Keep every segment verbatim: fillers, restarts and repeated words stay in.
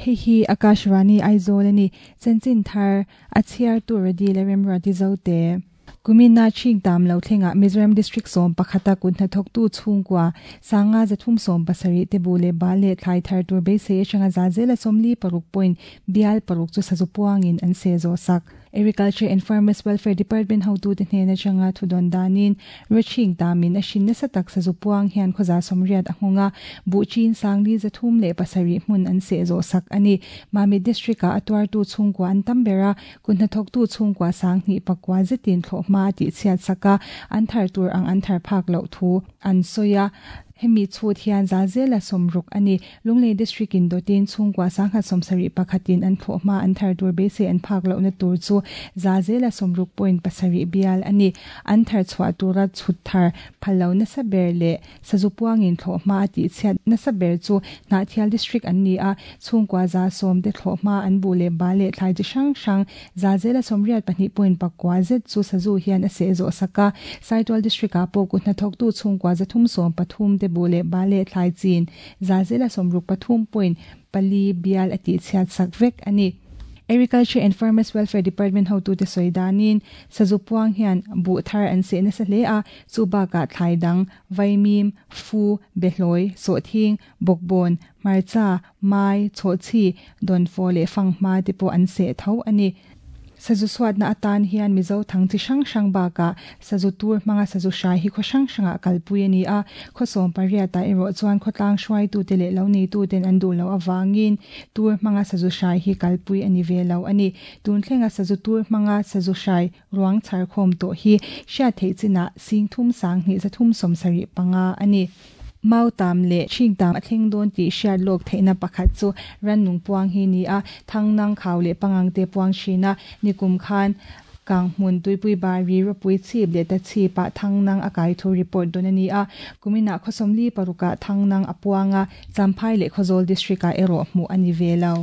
Hei hi Akashvani Aizawl ani chanchin thar a chhiar tur radi le remruati zote Kumina ching tam lo thlenga Mizoram District som pakhata kun hna thoktu chhungkwa sanga zathum som pasari te bule bale thlai thar tur be se changa zazela somli paruk point bial paruk chu sazu puangin an se zo sak Agriculture and Farmers Welfare Department hotu te hnena changa thudon danin roching tamin a shin na satak sazu puang hian khoza somriat ahunga buchin sangli zathum le pasari hmun an se zo sak ani Mami district a atwar tu chhungkwa an tambera kunna thok tu chhungkwa sangni pakwa zetin thlo ma ti chiat saka an thar tur ang an thar phak lo thu an soya hemi chut hian zazela somruk ani Lunglei district in dotin chungkwa sangha somsari pakhatin an thoma an thar tur be se an phak lo na tur chu zazela somruk point pasari bial ani an thar chwa tura chut thar phalo na saber le sazupuangin thoma ti chiat na saber chu na thial district an ni a chungkwa za som te thoma an bu le ba le thlai ji sang sang zazela somriat pahnih point pakwa zet chu sazu hian a se zo saka Saitual district a po ku na thok tu chungkwa zathum som pathum te bule bale thlai chin zazela somruk pathum point pali bial ati chiat sakvek ani Agriculture and Farmers Welfare Department hotu te soidanin sazupuang hian bu thar an se na sa le a chuba ka thlai dang vaimim fu behloi so thing bokbon marcha mai chochi don fo le fangma te po an se tho ani sazu swat na atan hian mizo thang chi sang sang ba ka sazu tur manga sazu shai hi kho sang sanga kalpui ani a khosom paria ta ero chuan khotlang hruai tu te le lo ni tu ten an du lo awangin tur manga sazu shai hi kalpui ani ve lo ani tun thlenga sazu tur manga sazu shai ruang char khom to hi sha thei china sing thum sang ni za thum som sari panga ani mau tam le ching tam atheng don ti shar lok theina pakhat chu ran nung puang hi ni a thangnang khaw le pangang te puang thina nikum khan kang hmun tuipui bari ropui chip le ta chi pa thangnang akai thu report don ani a kumina khosomli paruka thangnang apuanga champhai le khozol district a ero mu ani velo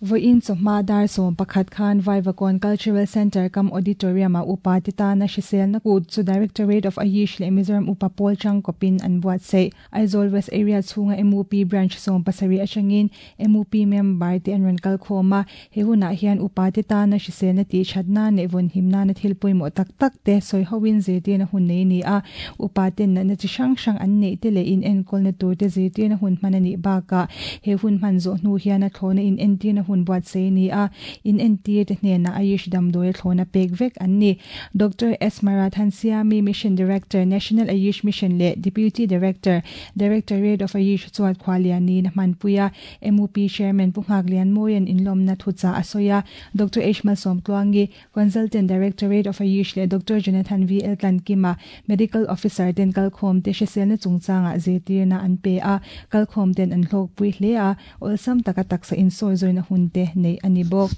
Voin chawhma dar sawm pakhat khan Vaivakawn Cultural Center kam auditorium a upa te tana hrisel na kut chu Directorate of Ayush leh Mizoram upa pawl chang kopin an buat sei Aizawl West Area chhunga M U P branch sawm pasarih atangin M U P member te an rawn kal khawm a he hunah hian upa te tana hrisel na tih thatna leh vawn himna na thil pawimawh tak tak te sawi hoin zirtirna hun nei ni a upa ten natna chi hrang hrang an neih te leh in enkawl na tur te zirtirna hun hman anih bakah he hun hman zawh hnu hian a thlawna in entirna hun buat sei ni a in entir te hnena Ayush damdawi thlawna pek vek an ni Doctor S Marathan Siami Mission Director National Ayush Mission le Deputy Director Directorate of Ayush chuat khwaliani na hmanpuia M U P Chairman Punghak Lian Moyan inlawmna thucha asoya Doctor H Malsom Tluangi Consultant Directorate of Ayush le Doctor Jonathan V L Tlankima Medical Officer ten kalkhawm te hriselna chungchanga zirtirna an pe a kalkhawm ten an hlawk pui hle a awlsam taka taksa in sawi zawina hun te nei ani bawk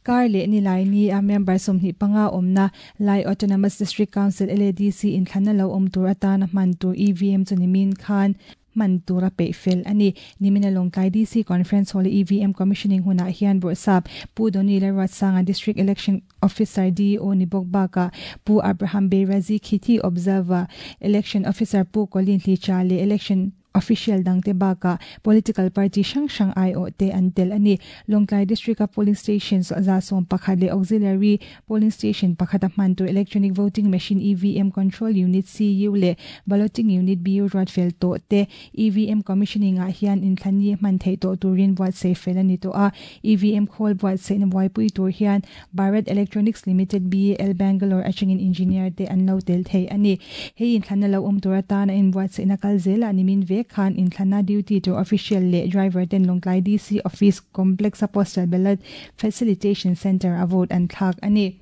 kar le ni lai ni a member somhnih panga awmna Lai Autonomous District Council L A D C in thlanna lo awm tur atana hman tur E V M chu nimin khan man tura pe fel ani nimina Lawngtlai D C Conference Hall E V M commissioning hunah hian Bawrhsap Pu Doni Lalruatsanga District Election Officer D O ni bawk baka Pu Abraham Beirazi Khithi Observer Election Officer Pu Colin Hlicha le Election Official dangte baka political party hrang hrang ai o te an tel ani Lawngtlai District a polling station so za som pakhat le auxiliary polling station pakhat a hman tur electronic voting machine E V M control unit C U le balloting unit B U ruat fel to te E V M commissioning a hian in thlani hman thei to turin buat sei fel ani to a E V M khol buat sei na buaipui tur hian Bharat Electronics Limited B A L Bangalore atangin engineer te an lo tel thei ani hei in thlanna lo awm tur atana in buat sei na kal zela nimin ve khan in thlana duty to official le driver ten Lawngtlai D C office complex a postal ballot facilitation center a vote an thlak ani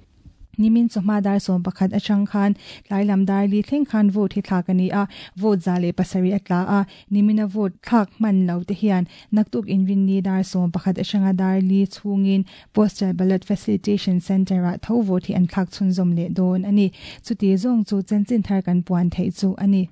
nimin chawhma dar sawm pakhat atang khan tlai lam dar li thleng khan vote hi thlak ani a vote za le pasarih a tla a nimina vote thlak hman lo te hian naktuk inrin ni dar sawm pakhat atanga dar li chhungin postal ballot facilitation center a tho vote hi an thlak chhunzawm leh dawn ani chuti zawng chu chanchin thar kan puan theih chu ani.